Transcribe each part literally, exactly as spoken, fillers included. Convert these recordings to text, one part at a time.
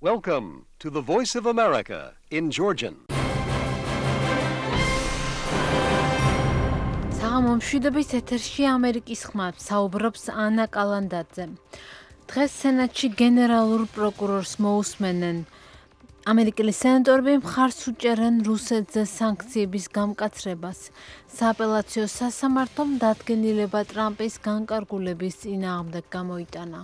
Welcome to the Voice of America in Georgian. საღამომშვიდობის ეთერში ამერიკის ხმა საუბრობს ანა კალანდაძე. დღეს სენატში გენერალურ პროკურორს მოусმენენ. ამერიკელი სენატორები მხარს უჭერენ რუსეთზე სანქციების გამკაცრებას. სააპელაციო სასამართლომ დადგენილება ტრამპის განკარგულების წინააღმდეგ გამოიტანა.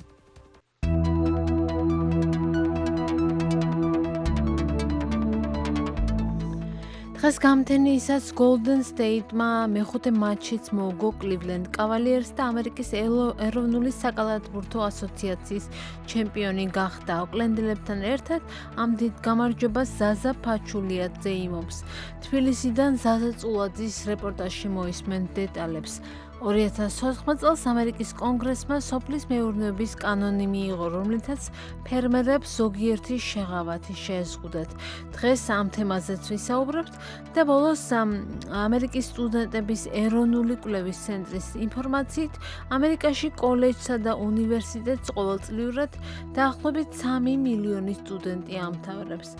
დღეს გამთენიისას Golden State-მა მეხუთე მატჩიც მოუგო Cleveland Cavaliers და ამერიკის ეროვნული საკალათბურთო ასოციაციის ჩემპიონი გახდა. ოკლენდელებთან ერთად ამ დიდ გამარჯვებას ზაზა ფაჩულიაძე იმობს. თბილისიდან ზაზა წულაძის რეპორტაჟში მოისმენთ დეტალებს. ორი ათას ოთხ წელს ამერიკის კონგრესმა სოფლის მეურნეობის კანონი მიიღო, რომლითაც ფერმერებს ზოგიერთი შეღავათი შეეზღუდათ. დღეს ამ თემაზეც ვისაუბრებთ და ბოლოს ამერიკის სტუდენტების ეროვნული კვლევის ცენტრის ინფორმაციით ამერიკაში კოლეჯსა და უნივერსიტეტს ყოველწლიურად დაახლოებით სამი მილიონი სტუდენტი ამთავრებს.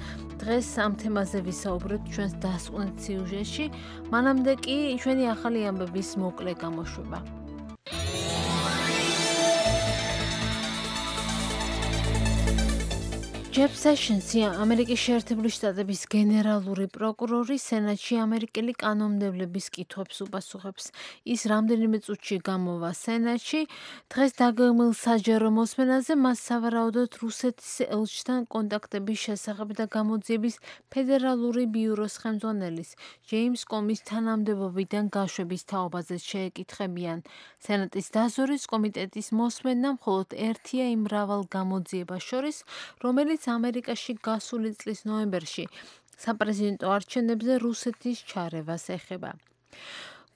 დღეს ამ თემაზე ვისაუბრებთ ჩვენს დასკვნეთ სიუჟეტში, მანამდე კი ჩვენი ახალი ამბების მოკლე გამოშვება. ჯეფ სეშენსი, ამერიკის შეერთებული შტატების გენერალური პროკურორი, სენატში ამერიკელი კანონმდებლების კითხვებს უპასუხებს. ის რამდენიმე წუთში გამოვა სენატში. დღეს დაგეგმილ საჯარო მოსმენაზე მას სავარაუდოდ რუსეთის ელჩთან კონტაქტების შესახებ და გამოძიების ფედერალური ბიუროს ხელმძღვანელის ჯეიმს კომის თანამდებობიდან გაშვების თაობაზე შეეკითხებიან. სენატის დაზვერვის კომიტეტის მოსმენა მხოლოდ ერთია იმ მრავალ გამოძიებას შორის, რომელიც ამერიკაში გასული წლის ნოემბერში საპრეზიდენტო არჩევნებზე რუსეთის ჩარევას ეხება.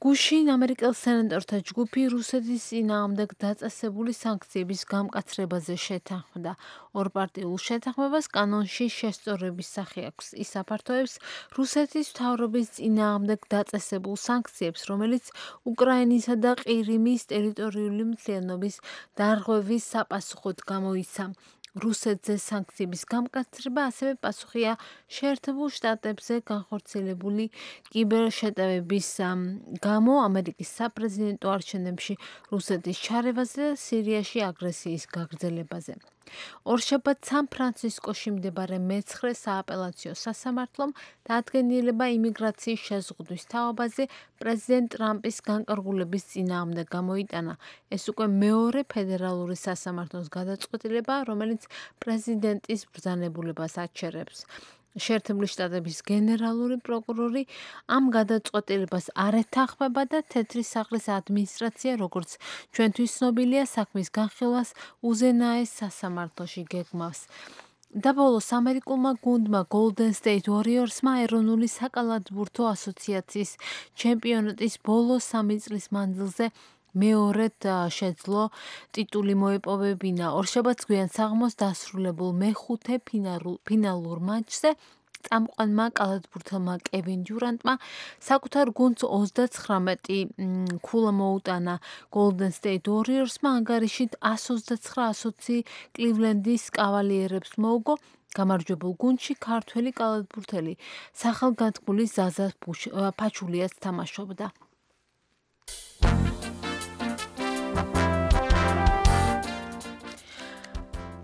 გუშინ ამერიკელ სენატორთა ჯგუფი რუსეთის წინააღმდეგ დაწესებული სანქციების გამკაცრებაზე შეთანხმდა. ორპარტიულ შეთანხმებას კანონში შესწორების სახე აქვს. ის აფართოებს რუსეთის მთავრობის წინააღმდეგ დაწესებულ სანქციებს, რომელიც უკრაინისა და ყირიმის ტერიტორიული მთლიანობის დარღვევის საპასუხოდ გამოიცა. რუსეთზე სანქციების გამკაცრება ასევე პასუხია შეერთებულ შტატებზე განხორციელებული კიბერშეტევების გამო ამერიკის საპრეზიდენტო არჩევნებში რუსეთის ჩარევაზე და სირიაში აგრესიის გაგრძელებაზე. ორშაბათს სან-ფრანცისკოში მდებარე მეცხრე სააპელაციო სასამართლომ დადგენილება იმიგრაციის შეზღუდვის თაობაზე პრეზიდენტ ტრამპის განკარგულების წინააღმდეგ გამოიტანა. ეს უკვე მეორე ფედერალური სასამართლოს გადაწყვეტილება, რომელიც პრეზიდენტის ბრძანებულებას აჩერებს. შეერთებული შტატების გენერალური პროკურორი ამ გადაწყვეტილებას არ ეთანხმება და თეთრი სახლის ადმინისტრაცია, როგორც ჩვენთვის ცნობილია, საქმის განხილვას უზენაეს სასამართლოში გეგმავს. და ბოლოს ამერიკულმა გუნდმა Golden State Warriors-მა ეროვნული საკალათბურთო ასოციაციის ჩემპიონატის ბოლო სამი წლის მანძილზე მეორედ შეძლო ტიტული მოეპოვებინა. ორშაბათს გვიან საღამოს დასრულებულ მეხუთე ფინალურ მატჩზე წამყვანმა კალათბურთელმა კევინ დიურანტმა საკუთარ გუნდს ოცდაცხრამეტი ქულა მოუტანა. Golden State Warriors-მა ანგარიშით ას ოცდაცხრა ოცი კლივლენდის კავალიერებს მოუგო. გამარჯვებულ გუნდში ქართველი კალათბურთელი სახელგანთქმული ზაზა ფაჩულიაც თამაშობდა.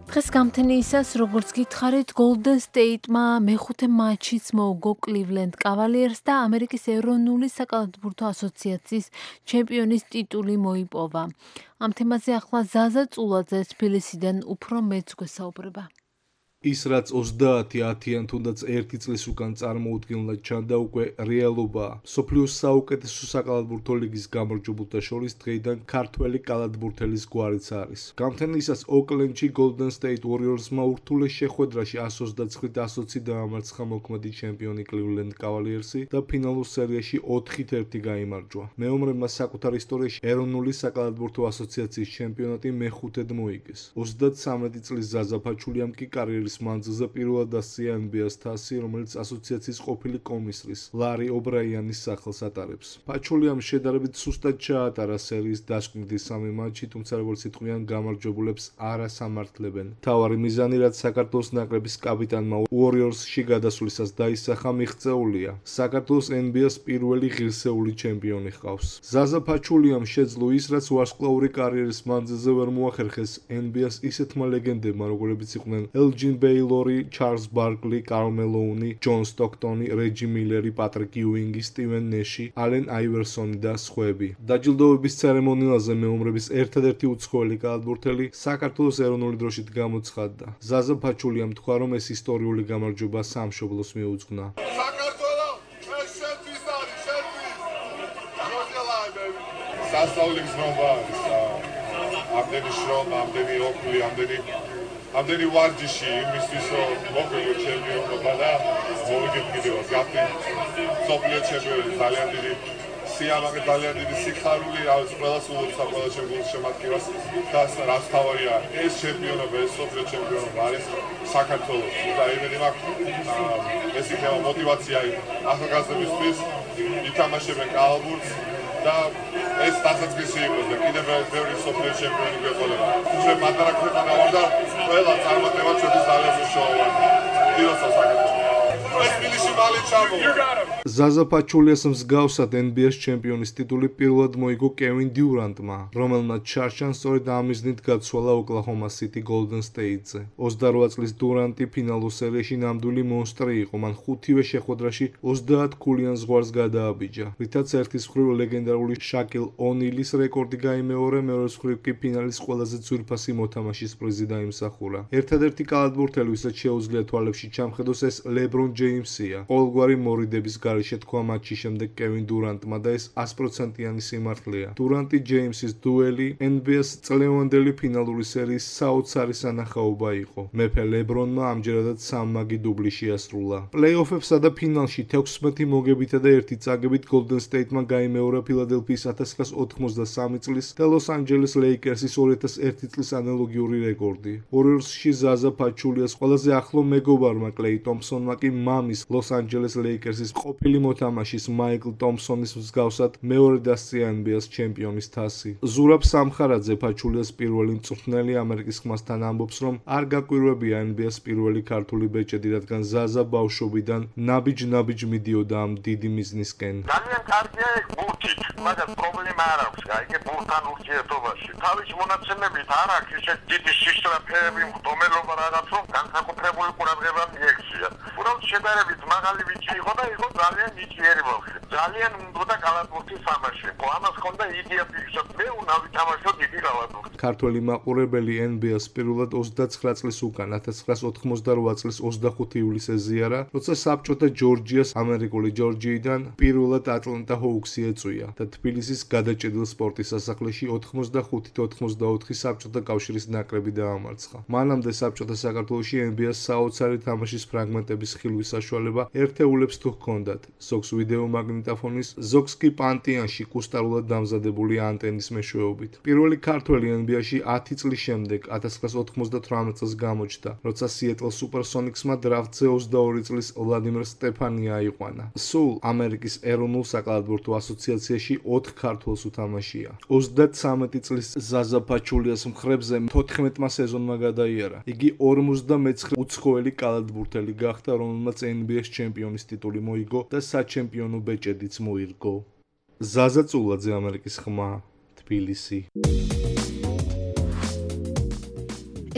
დღეს გამთენიისას, როგორც გითხარით, Golden State-მა მეხუთე მატჩიც მოუგო Cleveland Cavaliers და ამერიკის ეროვნული საკალათბურთო ასოციაციის ჩემპიონის ტიტული მოიპოვა. ამ თემაზე ახლა ზაზა წულაძე თბილისიდან უფრო მეც გვესაუბრება. ის რაც ოცდაათი ათიან თუნდაც ერთი წლის უკან წარმოუდგენლად ჩანდა, უკვე რეალობაა. მსოფლიოს საუკეთესო საკალათბურთო ლიგის გამარჯვებულთა შორის დღეიდან ქართველი კალათბურთელის გვარიც არის. გამთენიისას ოკლენდში Golden State Warriors-მა ურთულეს შეხვედრაში ას ოცდაცხრით ას ოცი დაამარცხა მოქმედი ჩემპიონი Cleveland Cavaliers-ი და ფინალურ სერიაში ოთხით ერთი გაიმარჯვა. მეომრებმა საკუთარ ისტორიაში ეროვნული საკალათბურთო ასოციაციის ჩემპიონატი მეხუთედ მოიგეს. ოცდაცამეტი წლის ზაზა ფაჩულიამ კი კარიერის კარიერის მანძილზე პირველად დასწია ენ ბი ეს თასი, რომელიც ასოციაციის ყოფილი კომისრის ლარი ობრაიანის სახელს ატარებს. პაჩულიამ შედარებით სუსტად ჩაატარა სერიის დასკვნითი სამი მატჩი, თუმცა როგორც იტყვიან, გამარჯვებულებს არ ასამართლებენ. მთავარი მიზანი, რაც საქართველოს ნაკრების კაპიტანმა უორიორსში გადასვლისას დაისახა, მიღწეულია. საქართველოს ენ ბი ეს პირველი ღირსეული ჩემპიონი ჰყავს. ზაზა პაჩულიამ შეძლო ის, რაც ვარსკვლავური კარიერის მანძილზე ვერ მოახერხეს ენ ბი ეს ისეთმა ლეგენდებმა, როგორებიც იყვნენ ელჯინ ბეილორი, ჩარლზ ბარკლი, კარლ მელოუნი, ჯონ სტოქტონი, რეჯი მილერი, პატრიკ იუინგი, სტივენ ნეში, ალენ აივერსონი და სხვები. დაჯილდოების ცერემონიალზე მეომრების ერთადერთი უცხოელი კალათბურთელი საქართველოს ეროვნული დროშით გამოცხადდა. ზაზა პაჩულიამ თქვა, რომ ეს ისტორიული გამარჯვება სამშობლოს მიუძღვნა. სასწაული გზნობა არის ამდენი შრომა, ამდენი ოქლი, ამდენი ამდენი ვარჯიში იმისთვის, რომ მოგვიყვე ჩემპიონობა და მოვიგეთ კიდევ გახდე მსოფლიო ჩემპიონი. ძალიან დიდი სიამაყე, ძალიან დიდი სიხარული, რაც ყველას უძლებს ყველა ჩემპიონის შემატკივას და რაც თავარია ეს ჩემპიონობა, ეს მსოფლიო ჩემპიონობა არის საქართველოს და იმედი მაქვს ეს იქნება მოტივაცია ახალგაზრდებისთვის ითამაშებენ კალათბურთს და ეს დასაწყისი იყოს და კიდევ ბევრი მსოფლიო ჩემპიონი გვეყოლება. ჩვენ პატარა ქვეყანა ვარ და ყველა წარმატება ჩვენთვის ძალიან მნიშვნელოვანია. დიდოცა საქართველოს. ეს თბილისში მალე ჩამოვა. ზაზა პაჩულიას მსგავსად ენ ბი ეს ჩემპიონის ტიტული პირველად მოიგო კევინ დიურანტმა, რომელმაც ჩარჩან სწორედ ამ მიზნით გაცვალა ოკლაჰომა სიტი გოლდენ სტეიტზე. ოცდაოთხ წლის დურანტი ფინალურ სერიაში ნამდვილი მონსტრი იყო, მან ხუთივე შეხვედრაში ოცდაათ ქულიან ზღვარს გადააბიჯა, რითაც ერთის მხრივ ლეგენდარული შაკილ ონილის რეკორდი გაიმეორე, მეორეს მხრივ კი ფინალის ყველაზე ძვირფასი მოთამაშის პრიზი დაიმსახურა. ერთადერთი კალათბურთელი, ვისაც შეუძლია თვალებში ჩამხედოს, ეს ლებრონ ჯეიმსია. ყოველგვარი მორიდების გარეშე თქვა მატჩის შემდეგ კევინ დურანტმა და ეს ას პროცენტიანი სიმართლეა. დურანტი ჯეიმსის დუელი ენ ბი ეს წლევანდელი ფინალური სერიის საოცარი სანახაობა იყო. მეფე ლებრონმა ამჯერადად სამმაგი დუბლი შეასრულა. პლეი-ოფებსა და ფინალში თექვსმეტი მოგებითა და ერთი წაგებით გოლდენ სტეიტმა გაიმეორა ფილადელფიის ოთხ ათას ოცდაოთხ წლის და ლოს-ანჯელეს ლეიკერსის ორი ათას ერთი წლის ანალოგიური რეკორდი. უორიორსში ზაზა პაჩულიას ყველაზე ახლო მეგობარმა კლეი ტომპსონმა კი მამის ლოს-ანჯელეს ლეიკერსის ყოფილი მოთამაშის მაიკლ ტომპსონის მსგავსად მეორე დასწია ენ ბი ეს ჩემპიონის თასი. ზურაბ სამხარაძე პაჩულიას პირველი მწვრთნელი ამერიკის ხმასთან ამბობს, რომ არ გაკვირვებია ენ ბი ეს პირველი ქართული ბეჭედი, რადგან ზაზა ბავშვობიდან ნაბიჯ-ნაბიჯ მიდიოდა ამ დიდი მიზნისკენ. ძალიან კარგია ეს ბურთით, მაგრამ პრობლემა არ აქვს, აიგე ბურთთან ურთიერთობაში. თავის მონაცემებით არ აქვს ისეთ დიდი სისტრაფეები, მდგომელობა რაღაც, რომ განსაკუთრებული ყურადღება მიექცია. უბრალოდ შედარებით მაღალი ვიჭი იყო და იყო ძალიან ნიჭიერი ბავშვი. ძალიან უნდოდა კალათბურთის თამაში. ამას ჰქონდა იდეა ფიქსად, მე უნდა ვითამაშო დიდი კალათბურთი. ქართველი მაყურებელი ენ ბი ეს პირველად ოცდაცხრა წლის უკან ათას ცხრაას ოთხმოცდარვა წლის ოცდახუთი ივლისს ეზიარა, როცა საბჭოთა ჯორჯიას ამერიკული ჯორჯიიდან პირველად ატლანტა ჰოუქსი ეწვია და თბილისის გადაჭედილ სპორტის სასახლეში ოთხმოცდახუთი ოცდაოთხი საბჭოთა კავშირის ნაკრები დაამარცხა. მანამდე საბჭოთა საქართველოში ენ ბი ეს საოცარი თამაშის ფრაგმენტების ხილვის საშუალება ერთეულებს თუ ჰქონდათ, ზოგს ვიდეო მაგნიტოფონის, ზოგს კი პანტიანში კუსტარულად დამზადებული ანტენის მეშვეობით. პირველი ქართველი ენ ბი ეს-ში ათი წლის შემდეგ ათას ცხრაას ოცდაოთხ წელს გამოჩნდა, როცა სიეტლ სუპერსონიქსმა დრაფტზე ოცდაორი წლის ვლადიმერ სტეფანი აიყვანა. სულ ამერიკის ეროვნულ საკალათბურთო ასოციაციაში ოთხ ქართველს უთამაშია. ოცდათვრამეტი წლის ზაზა პაჩულიას მხრებზე თოთხმეტმა სეზონმა გადაიარა. იგი ორმოცდამეცხრე უცხოელი კალათბურთელი გახდა, რომელმაც ენ ბი ეს ჩემპიონის ტიტული მოიგო და საჩემპიონო ბეჭედიც მოირგო. ზაზა წულაძე, ამერიკის ხმა, თბილისი.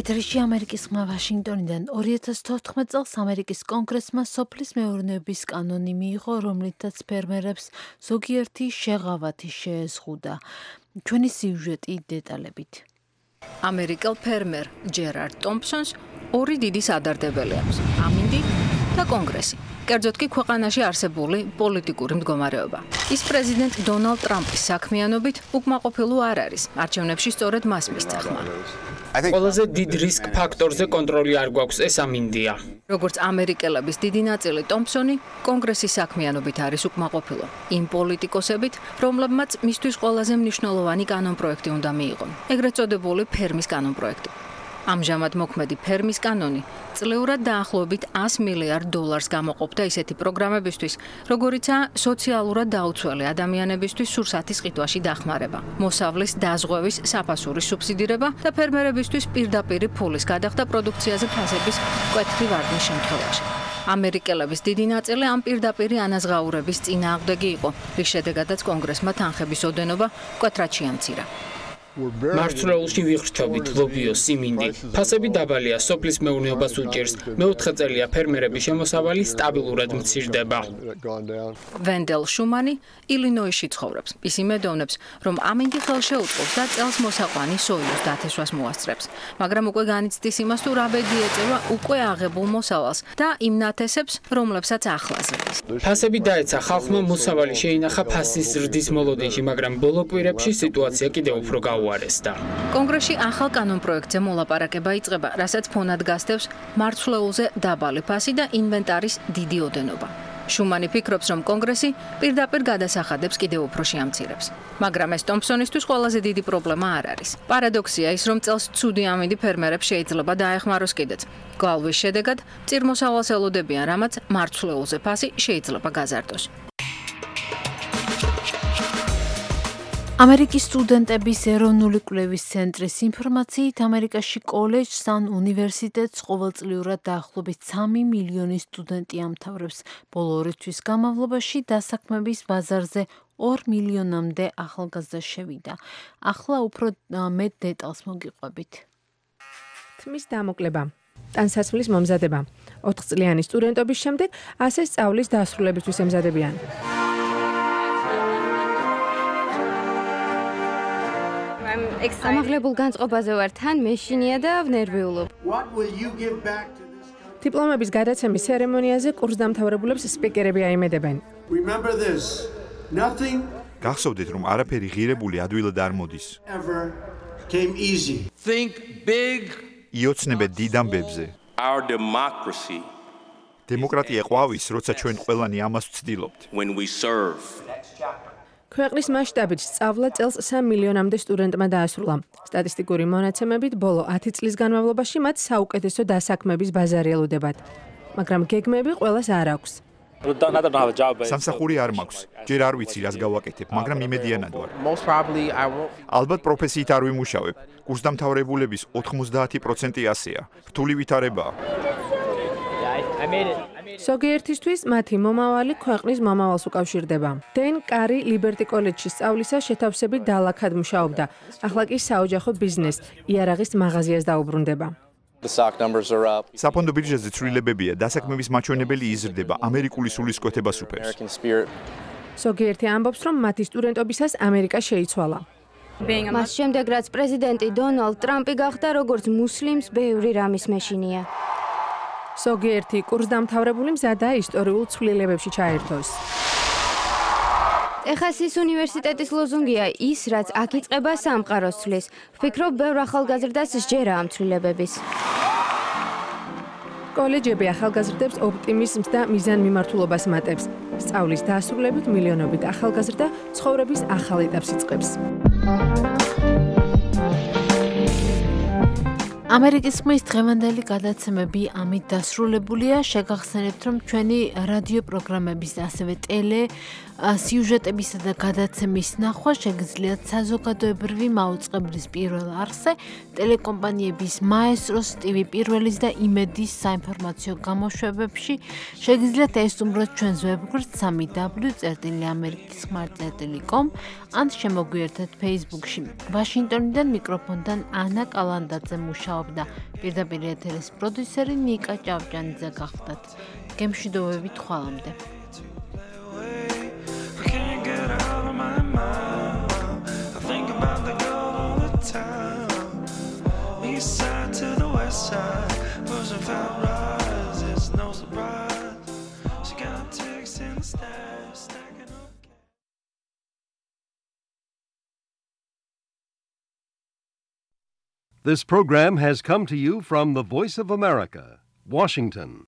ეთერში ამერიკის ხმა ვაშინგტონიდან ორი ათას თოთხმეტ წელს ამერიკის კონგრესმა სოფლის მეურნეობის კანონი მიიღო, რომლითაც ფერმერებს ზოგიერთი შეღავათი შეეზღუდა. ჩვენი სიუჟეტი დეტალებით. ამერიკელ ფერმერ ჯერარდ ტომპსონს ორი დიდი სადარდებელი აქვს: ამინდი და კონგრესი. კერძოდ კი ქვეყანაში არსებული პოლიტიკური მდგომარეობა. ის პრეზიდენტ დონალდ ტრამპის საქმიანობით უკმაყოფილო არ არის. არჩევნებში სწორედ მას მისცა ხმა. ყველაზე დიდ რისკ ფაქტორზე კონტროლი არ გვაქვს, ეს ამინდია. როგორც ამერიკელების დიდი ნაწილი, ტომპსონი კონგრესის საქმიანობით არის უკმაყოფილო. იმ პოლიტიკოსებით, რომლებმაც მისთვის ყველაზე მნიშვნელოვანი კანონპროექტი უნდა მიიღონ, ეგრეთ წოდებული ფერმის კანონპროექტი. ამჟამად მოქმედი ფერმის კანონი წლიურად დაახლოებით ას მილიარდ დოლარს გამოყოფდა ისეთი პროგრამებისთვის, როგორიცაა სოციალურად დაუცველი ადამიანებისთვის სურსათის ყიდვაში დახმარება, მოსავლის დაზღვევის საფასურის სუბსიდირება და ფერმერებისთვის პირდაპირი ფულის გადახდა პროდუქციაზე ფასების მკვეთრი ვარდნის შემთხვევაში. ამერიკელების დიდი ნაწილი ამ პირდაპირი ანაზღაურების წინააღმდეგი იყო, რის შედეგადაც კონგრესმა თანხების ოდენობა მკვეთრად შეამცირა. მარცვლეულში ვიხრჩობით ლობიო სიმინდი. ფასები დაბალია, სოფლის მეურნეობას უჭირს. მეოთხე წელია ფერმერების შემოსავალი სტაბილურად მცირდება. ვენდელ შუმანი ილინოისში ცხოვრობს. ის იმედოვნებს, რომ ამინდი ხელშეუწყობს და წელს მოსაყვანი სოიოს დათესვას მოასწრებს. მაგრამ უკვე განიცდის იმას, თუ რა ბედი ეწევა უკვე აღებულ მოსავალს და იმ ნათესებს, რომლებსაც ახლას ზრდის. ფასები დაეცა ხალხმა მოსავალი შეინახა ფასის ზრდის მოლოდინში, მაგრამ ბოლო კვირებში სიტუაცია კიდევ უფრო გაუარესდა. კონგრესში ახალ კანონპროექტზე მოლაპარაკება იწყება, რასაც ფონად გასდევს მარცვლეულზე დაბალი ფასი და ინვენტარის დიდი ოდენობა. შუმანი ფიქრობს, რომ კონგრესი პირდაპირ გადასახადებს კიდევ უფრო შეამცირებს. მაგრამ ეს ტომპსონისთვის ყველაზე დიდი პრობლემა არ არის. პარადოქსია ის, რომ წელს ცუდი ამინდი ფერმერებს შეიძლება დაეხმაროს კიდეც. გვალვის შედეგად წირმოსავალს ელოდებიან, რამაც მარცვლეულზე ფასი შეიძლება გაზარდოს. ამერიკის სტუდენტების ეროვნული კვლევის ცენტრის ინფორმაციით, ამერიკაში კოლეჯს ან უნივერსიტეტს ყოველწლიურად დაახლოებით სამი მილიონი სტუდენტი ამთავრებს. ბოლო ორი თვის განმავლობაში დასაქმების ბაზარზე ორ მილიონამდე ახალგაზრდა შევიდა. ახლა უფრო მეტ დეტალს მოგიყვებით. თმის დამოკლება, ტანსაცმლის მომზადება, ოთხწლიანი სტუდენტობის შემდეგ ასე სწავლის დასრულებისთვის ემზადებიან. ამაღლებულ განწყობაზე ვარ, თან მეშინია და ვნერვიულობ. დიპლომების გადაცემის ცერემონიაზე კურსდამთავრებულებს სპიკერები აიმედებენ. გახსოვდეთ, რომ არაფერი ღირებული ადვილად არ მოდის. იოცნებეთ დიდ ამბებზე. დემოკრატია ყვავის, როცა ჩვენ ყველანი ამას ვცდილობთ. ქვეყნის მასშტაბით სწავლა წელს სამ მილიონამდე სტუდენტმა დაასრულა. სტატისტიკური მონაცემებით ბოლო ათი წლის განმავლობაში მათ საუკეთესო დასაქმების ბაზარი ელოდებათ. მაგრამ გეგმები ყველას არ აქვს. სამსახური არ მაქვს. ჯერ არ ვიცი, რას გავაკეთებ, მაგრამ იმედიანად ვარ. ალბათ პროფესიით არ ვიმუშავებ. კურსდამთავრებულების ოთხმოცდაათი პროცენტი ასეა. რთული ვითარებაა. ზოგიერთისთვის მათი მომავალი ქვეყნის მომავალს უკავშირდება. დენ კარი ლიბერტი კოლეჯში სწავლისას შეთავსებით დალაქად მუშაობდა. ახლა კი საოჯახო ბიზნეს იარაღის მაღაზიას დაუბრუნდება. საფონდო ბირჟაზე ცვლილებებია, დასაქმების მაჩვენებელი იზრდება, ამერიკული სულისკვეთებას უფევს. ზოგიერთი ამბობს, რომ მათი სტუდენტობისას ამერიკა შეიცვალა. მას შემდეგ, რაც პრეზიდენტი დონალდ ტრამპი გახდა, როგორც მუსლიმს ბევრი რამის მეშინია. ზოგიერთი კურსდამთავრებული მზადაა ისტორიულ ცვლილებებში ჩაერთოს. ტეხასის უნივერსიტეტის ლოზუნგია ის, რაც აქ იწყება სამყაროს ცვლის. ვფიქრობ, ბევრ ახალგაზრდას სჯერა ამ ცვლილებების. კოლეჯები ახალგაზრდებს ოპტიმიზმს და მიზანმიმართულობას მატებს. სწავლის დასრულებით მილიონობით ახალგაზრდა ცხოვრების ახალ ეტაპს იწყებს. ამერიკის ხმის დღევანდელი გადაცემები ამით დასრულებულია. შეგახსენებთ, რომ ჩვენი რადიო პროგრამების, ასევე ტელე სიუჟეტებისა და გადაცემის ნახვა შეგიძლიათ საზოგადოებრივი მაუწყებლის პირველ არხზე, ტელეკომპანიების მაესტროს, ტივი პირველის და იმედის საინფორმაციო გამოშვებებში. შეგიძლიათ ესტუმროთ ჩვენს ვებგვერდს სამი დაბლიუ წერტილი ამერიკის ხმა წერტილი კომ ან შემოგვიერთეთ Facebook-ში. ვაშინგტონიდან მიკროფონთან ანა კალანდაძე მუშაობდა. პირდაპირ ეთერის პროდიუსერი ნიკა ჭავჭანიძე გახდათ. გემშვიდობებით ხვალამდე. This program has come to you from the Voice of America, Washington.